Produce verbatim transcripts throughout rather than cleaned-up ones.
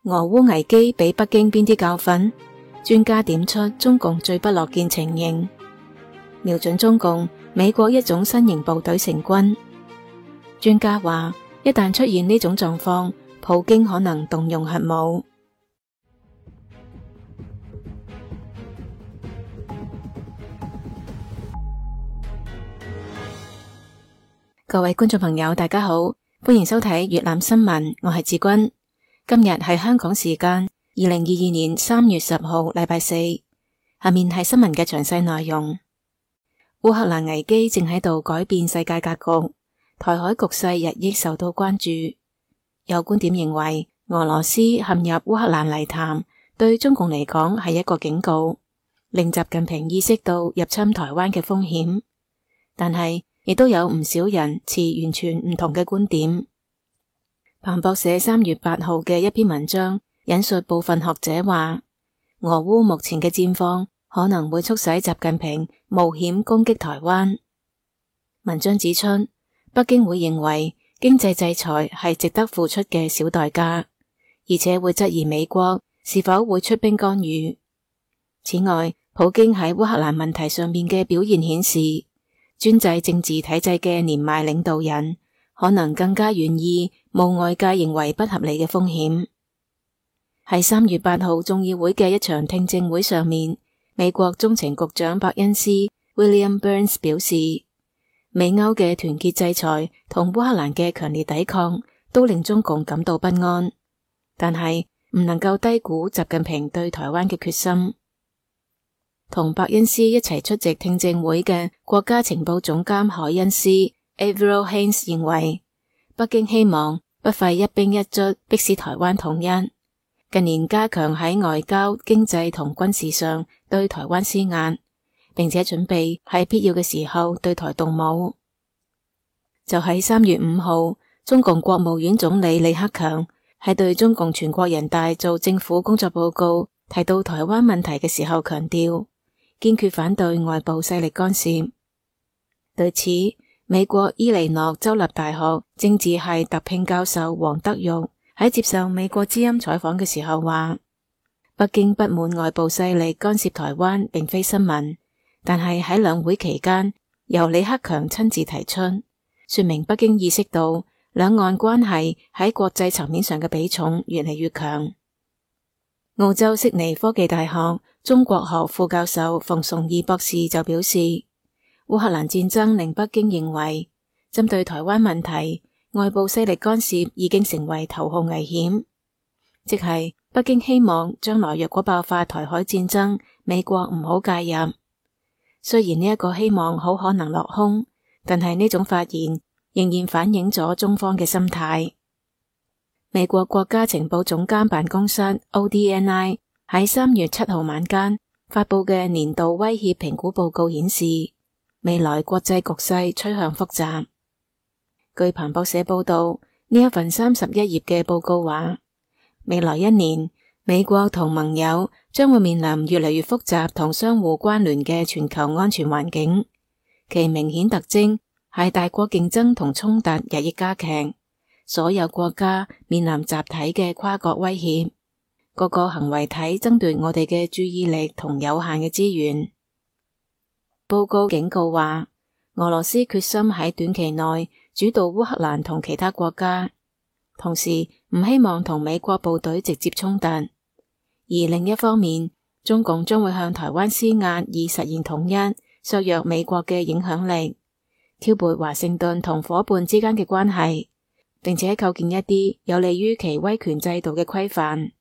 俄烏危機俾北京邊啲教訓？專家點出中共最不樂見情形，瞄準中共，美國一種新型部隊成軍。專家話，一旦出現呢種狀況，普京可能動用核武。各位觀眾朋友，大家好，歡迎收睇粵覽新聞，我係志君。今日係香港時間二零二二年三月十號，禮拜四。下面係新聞嘅詳細內容。烏克蘭危機正喺度改變世界格局，台海局勢日益受到關注。有觀點認為，俄羅斯陷入烏克蘭泥潭，對中共嚟講係一個警告，令習近平意識到入侵台灣嘅風險。但係亦都有唔少人持完全唔同嘅觀點。彭博社三月八號嘅一篇文章引述部分學者話，俄烏目前嘅戰況可能會促使習近平冒險攻擊台灣。文章指出，北京會認為經濟制裁係值得付出嘅小代價，而且會質疑美國是否會出兵干預。此外，普京喺烏克蘭問題上面嘅表現顯示，專制政治體制嘅年邁領導人可能更加願意冒外界認為不合理嘅風險。喺三月八號眾議會嘅一場聽證會上面，美國中情局長伯恩斯 William Burns 表示，美歐嘅團結制裁同烏克蘭嘅強烈抵抗都令中共感到不安，但係唔能夠低估習近平對台灣嘅決心。同伯恩斯一齊出席聽證會嘅國家情報總監海恩斯 Avril Haines 認為，北京希望不費一兵一卒迫使台灣統一，近年加強喺外交、經濟同軍事上對台灣施壓，並且準備喺必要嘅時候對台動武。就喺三月五號，中共國務院總理李克強喺對中共全國人大做政府工作報告提到台灣問題嘅時候強調，堅決反對外部勢力干涉。對此，美國伊利諾州立大學政治系特聘教授黃德玉喺接受美國之音採訪嘅時候話，北京不滿外部勢力干涉台灣並非新聞，但係喺兩會期間由李克強親自提出，說明北京意識到兩岸關係喺國際層面上嘅比重越嚟越強。澳洲悉尼科技大學中國學副教授馮崇義博士就表示，烏克蘭戰爭令北京認為，針對台灣問題，外部勢力干涉已經成為頭號危險，即係北京希望將來若果爆發台海戰爭，美國唔好介入。雖然呢一個希望好可能落空，但係呢種發言仍然反映咗中方嘅心態。美國國家情報總監辦公室 O D N I 喺三月七號晚間發佈嘅年度威脅評估報告顯示，未來國際局勢趨向複雜。據彭博社報道，呢一份三十一頁嘅報告話，未來一年美國同盟友將會面臨越嚟越複雜同相互關聯嘅全球安全環境，其明顯特徵係大國競爭同衝突日益加劇，所有國家面臨集體嘅跨國威脅，各個行為體爭奪我哋嘅注意力同有限嘅資源。報告警告話，俄羅斯決心喺短期內主導烏克蘭同其他國家，同時唔希望同美國部隊直接衝突。而另一方面，中共將會向台灣施壓以實現統一，削弱美國嘅影響力，挑撥華盛頓同夥伴之間嘅關係，並且構建一啲有利於其威權制度嘅規範。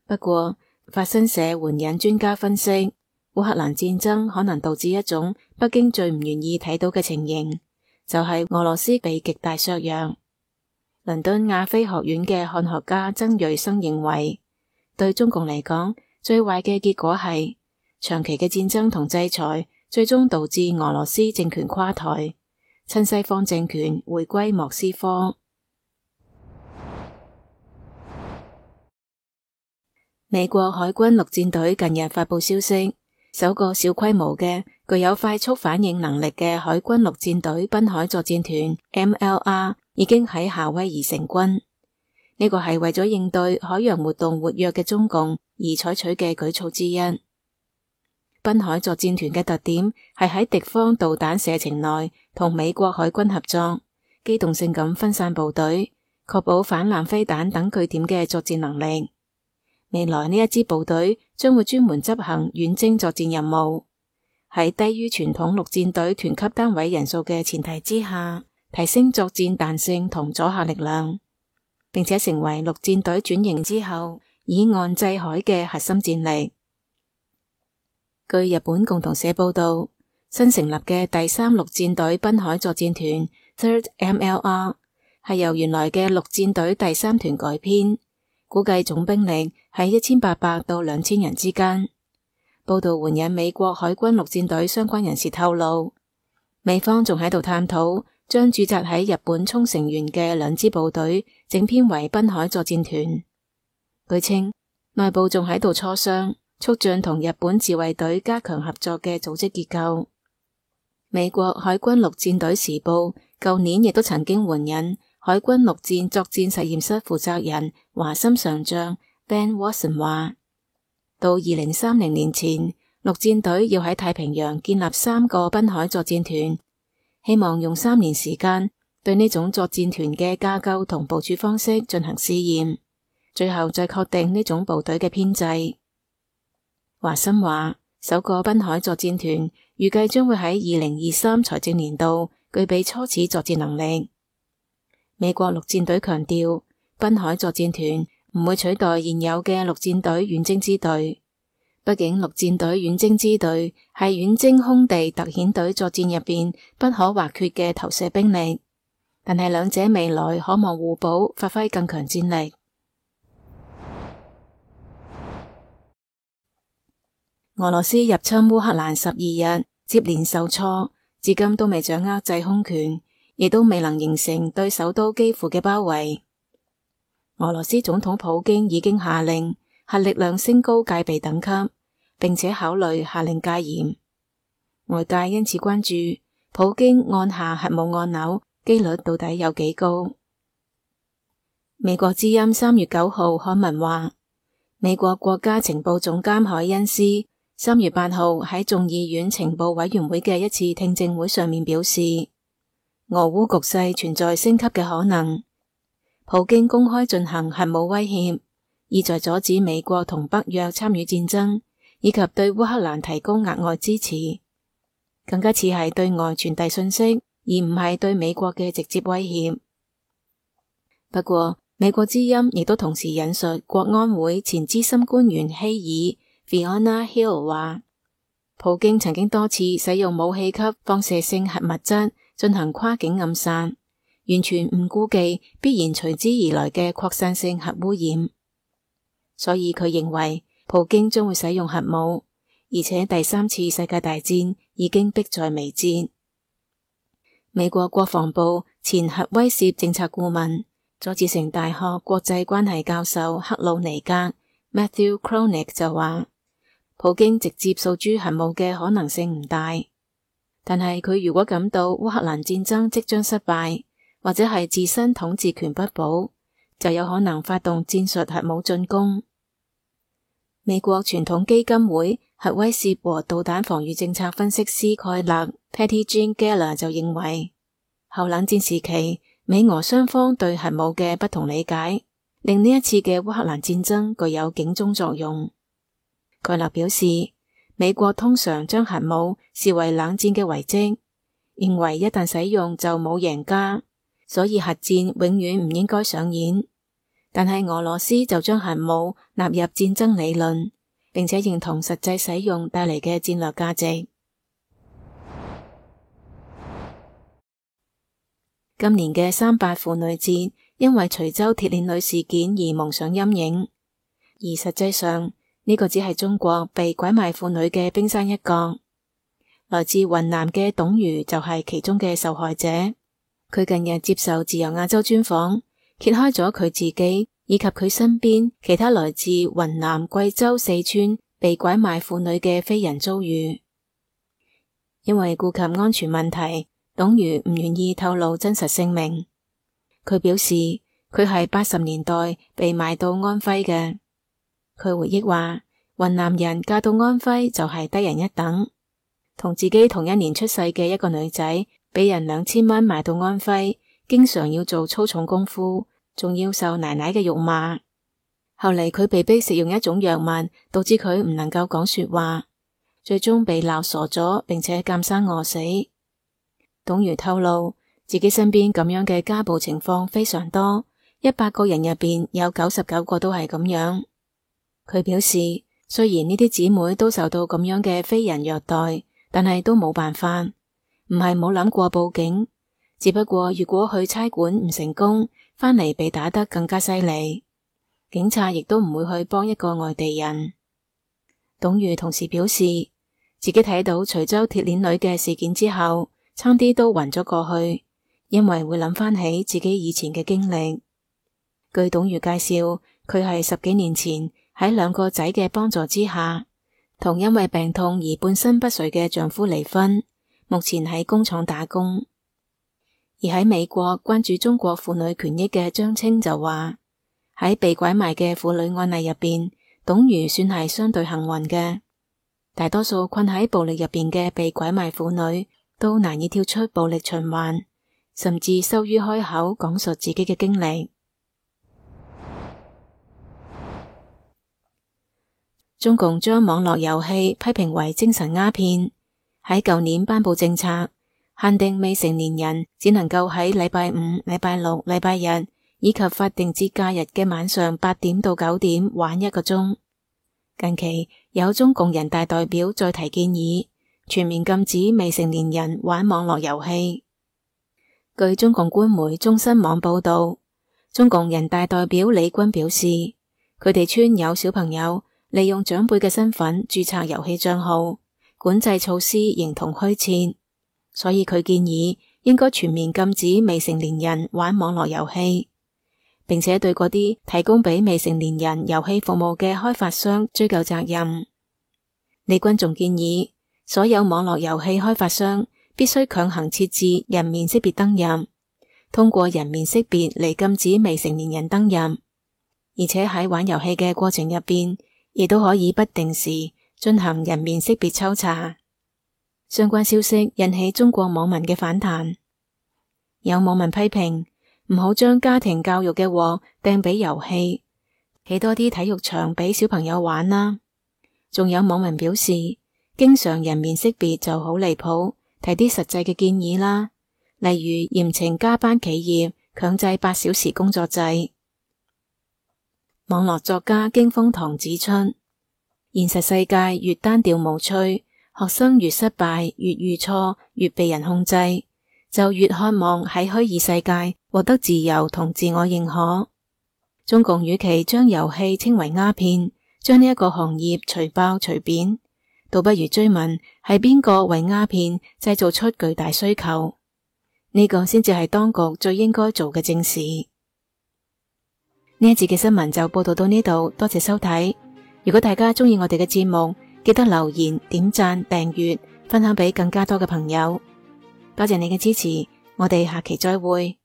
不過，法新社援引專家分析，烏克蘭戰爭可能導致一種北京最唔願意睇到嘅情形，就係俄羅斯被極大削弱。倫敦亞非學院嘅漢學家曾瑞生認為，對中共嚟講，最壞嘅結果係長期嘅戰爭同制裁，最終導致俄羅斯政權垮台，親西方政權回歸莫斯科。美國海軍陸戰隊近日發佈消息，首個小規模嘅具有快速反應能力嘅海軍陸戰隊濱海作戰團 M L R 已經喺夏威夷成軍。呢個係為咗應對海洋活動活躍嘅中共而採取嘅舉措之一。濱海作戰團嘅特點係喺敵方導彈射程內同美國海軍合作，機動性咁分散部隊，確保反艦飛彈等據點嘅作戰能力。未來呢一支部隊將會專門執行遠征作戰任務，喺低於傳統陸戰隊團級單位人數嘅前提之下，提升作戰彈性同阻嚇力量，並且成為陸戰隊轉型之後以岸制海嘅核心戰力。據日本共同社報道，新成立嘅第三陸戰隊濱海作戰團 Third M L R 係由原來嘅陸戰隊第三團改編，估計總兵力喺一千八百到兩千人之間。報道援引美國海軍陸戰隊相關人士透露，美方仲喺度探討將駐紮喺日本沖繩縣嘅兩支部隊整編為濱海作戰團。據稱，內部仲喺度磋商促進同日本自衛隊加強合作嘅組織結構。美國海軍陸戰隊時報舊年亦都曾經援引海軍陸戰作戰實驗室負責人華森上將 Ben Watson 話，到二零三零年前，陸戰隊要喺太平洋建立三個濱海作戰團，希望用三年時間對呢種作戰團嘅架構同部署方式進行試驗，最後再確定呢種部隊嘅編制。華森話，首個濱海作戰團預計將會喺二零二三財政年度具備初始作戰能力。美國陸戰隊強調，濱海作戰團唔會取代現有嘅陸戰隊遠征支隊，畢竟陸戰隊遠征支隊係遠征空地特遣隊作戰入邊不可或缺嘅投射兵力，但係兩者未來可望互補，發揮更強戰力。俄羅斯入侵烏克蘭十二日，接連受挫，至今都未掌握制空權，亦都未能形成對首都基輔嘅包圍。俄羅斯總統普京已經下令核力量升高戒備等級，並且考慮下令戒嚴。外界因此關注普京按下核武按鈕機率到底有幾高。美國之音三月九號刊文話，美國國家情報總監海恩斯三月八號喺眾議院情報委員會嘅一次聽證會上面表示，俄烏局勢存在升級嘅可能，普京公開進行核武威脅，意在阻止美國同北約參與戰爭，以及對烏克蘭提供額外支持，更加似係對外傳遞信息，而唔係對美國嘅直接威脅。不過，美國之音亦都同時引述國安會前資深官員希爾 Fiona Hill 話，普京曾經多次使用武器級放射性核物質進行跨境暗殺，完全唔顧忌必然隨之而來嘅擴散性核污染。所以佢認為普京將會使用核武，而且第三次世界大戰已經迫在眉睫。美國國防部前核威懾政策顧問、佐治城大學國際關係教授克魯尼格 Matthew Kroenig 就話，普京直接訴諸核武嘅可能性唔大，但係佢如果感到烏克蘭戰爭即將失敗，或者係自身統治權不保，就有可能發動戰術核武進攻。美國傳統基金會核威懾和導彈防禦政策分析師蓋勒 Patty Jean Geller 就認為，後冷戰時期美俄雙方對核武嘅不同理解，令呢一次嘅烏克蘭戰爭具有警鐘作用。蓋勒表示，美國通常將核武視為冷戰嘅遺跡，認為一旦使用就冇贏家，所以核戰永遠唔應該上演。但係俄羅斯就將核武納入戰爭理論，並且認同實際使用帶嚟嘅戰略價值。今年嘅三八婦女節因為徐州鐵鏈女事件而蒙上陰影，而實際上呢個只係中國被拐賣婦女嘅冰山一角。來自雲南嘅董如就係其中嘅受害者。佢近日接受自由亞洲專訪，揭開咗佢自己以及佢身邊其他來自雲南、貴州、四川被拐賣婦女嘅非人遭遇。因為顧及安全問題，董如唔願意透露真實姓名。佢表示，佢係八十年代被賣到安徽嘅。佢回憶話，雲南人嫁到安徽就係低人一等，同自己同一年出世嘅一個女仔，俾人兩千蚊賣到安徽，經常要做粗重功夫，仲要受奶奶嘅辱罵。後嚟佢被逼食用一種藥物，導致佢唔能夠講說話，最終被鬧傻咗，並且監生餓死。董如透露，自己身邊咁樣嘅家暴情況非常多，一百個人入邊有九十九個都係咁樣。佢表示，雖然呢啲姊妹都受到咁樣嘅非人虐待，但係都冇辦法，唔係冇諗過報警，只不過如果去差館唔成功，返嚟被打得更加犀利，警察亦都唔會去幫一個外地人。董如同時表示，自己睇到徐州鐵鏈女嘅事件之後，差啲都暈咗過去，因為會諗翻起自己以前嘅經歷。據董如介紹，佢係十幾年前喺兩個仔嘅幫助之下，同因為病痛而半身不遂嘅丈夫離婚，目前喺工廠打工。而喺美國關注中國婦女權益嘅張青就話，喺被拐賣嘅婦女案例入邊，董如算係相對幸運嘅。大多數困喺暴力入邊嘅被拐賣婦女都難以跳出暴力循環，甚至羞於開口講述自己嘅經歷。中共將網絡遊戲批評為精神鴉片，喺舊年頒布政策，限定未成年人只能夠喺禮拜五、禮拜六、禮拜日以及法定節假日嘅晚上八點到九點玩一個鐘。近期有中共人大代表再提建議，全面禁止未成年人玩網絡遊戲。據中共官媒中新網報道，中共人大代表李軍表示，佢哋村有小朋友利用長輩嘅身份註冊遊戲賬號，管制措施形同虛設，所以佢建議應該全面禁止未成年人玩網絡遊戲，並且對嗰啲提供俾未成年人遊戲服務嘅開發商追究責任。李軍仲建議，所有網絡遊戲開發商必須強行設置人面識別登入，通過人面識別嚟禁止未成年人登入，而且喺玩遊戲嘅過程入邊，亦都可以不定時進行人面識別抽查。相關消息引起中國網民嘅反彈，有網民批評唔好將家庭教育嘅鑊掟俾遊戲，起多啲體育場俾小朋友玩啦。仲有網民表示，經常人面識別就好離譜，提啲實際嘅建議啦，例如嚴懲加班企業，強制八小時工作制。網絡作家經風堂指出，現實世界越單調無趣，學生越失敗，越遇錯，越被人控制，就越渴望喺虛擬世界獲得自由同自我認可。中共與其將遊戲稱為鴉片，將呢一個行業除暴除貶，倒不如追問係邊個為鴉片製造出巨大需求，呢個先至係當局最應該做嘅正事。呢一節嘅新聞就報道到呢度，多謝收睇。如果大家鍾意我哋嘅節目，記得留言、點讚、訂閱、分享俾更加多嘅朋友。多謝你嘅支持，我哋下期再會。